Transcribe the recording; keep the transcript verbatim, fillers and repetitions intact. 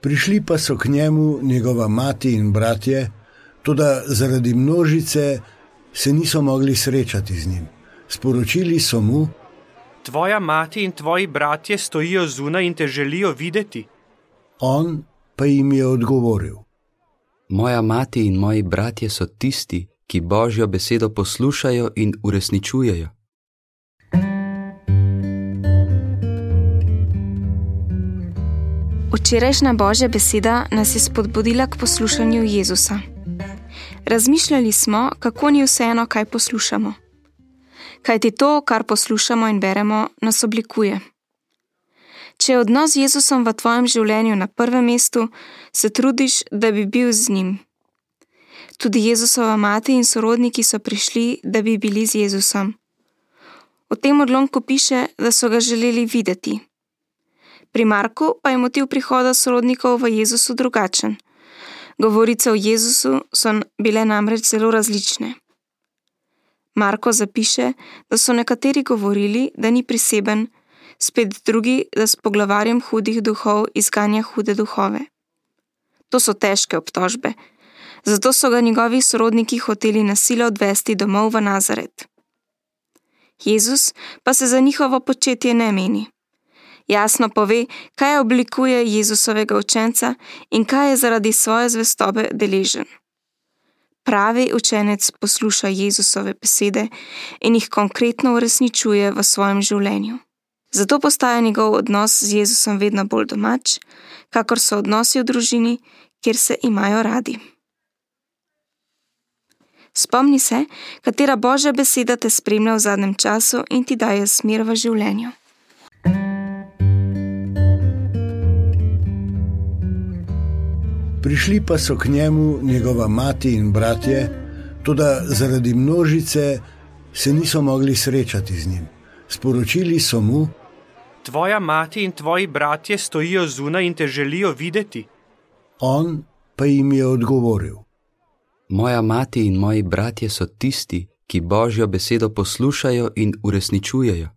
Prišli pa so k njemu njegova mati in bratje, toda zaradi množice se niso mogli srečati z njim. Sporočili so mu: Tvoja mati in tvoji bratje stojijo zunaj in te želijo videti. On pa jim je odgovoril: Moja mati in moji bratje so tisti, ki Božjo besedo poslušajo in uresničujejo. Včerajšnja Božja beseda nas je spodbudila k poslušanju Jezusa. Razmišljali smo, kako ni vseeno, kaj poslušamo. Kajti to, kar poslušamo in beremo, nas oblikuje. Če je odnos z Jezusom v tvojem življenju na prvem mestu, se trudiš, da bi bil z njim. Tudi Jezusova mati in sorodniki so prišli, da bi bili z Jezusom. V tem odlomku piše, da so ga želeli videti. Pri Marku pa je motiv prihoda sorodnikov v Jezusu drugačen. Govorice o Jezusu so bile namreč zelo različne. Marko zapiše, da so nekateri govorili, da ni priseben, spet drugi, da s poglavarjem hudih duhov izganja hude duhove. To so težke obtožbe, zato so ga njegovi sorodniki hoteli na silo odvesti domov v Nazaret. Jezus pa se za njihovo početje ne meni. Jasno pove, kaj oblikuje Jezusovega učenca in kaj je zaradi svoje zvestobe deležen. Pravi učenec posluša Jezusove besede in jih konkretno uresničuje v svojem življenju. Zato postaja njegov odnos z Jezusom vedno bolj domač, kakor so odnosi v družini, kjer se imajo radi. Spomni se, katera Božja beseda te spremlja v zadnjem času in ti daje smer v življenju. Prišli pa so k njemu njegova mati in bratje, toda zaradi množice se niso mogli srečati z njim. Sporočili so mu: Tvoja mati in tvoji bratje stojijo zunaj in te želijo videti. On pa jim je odgovoril: Moja mati in moji bratje so tisti, ki Božjo besedo poslušajo in uresničujejo.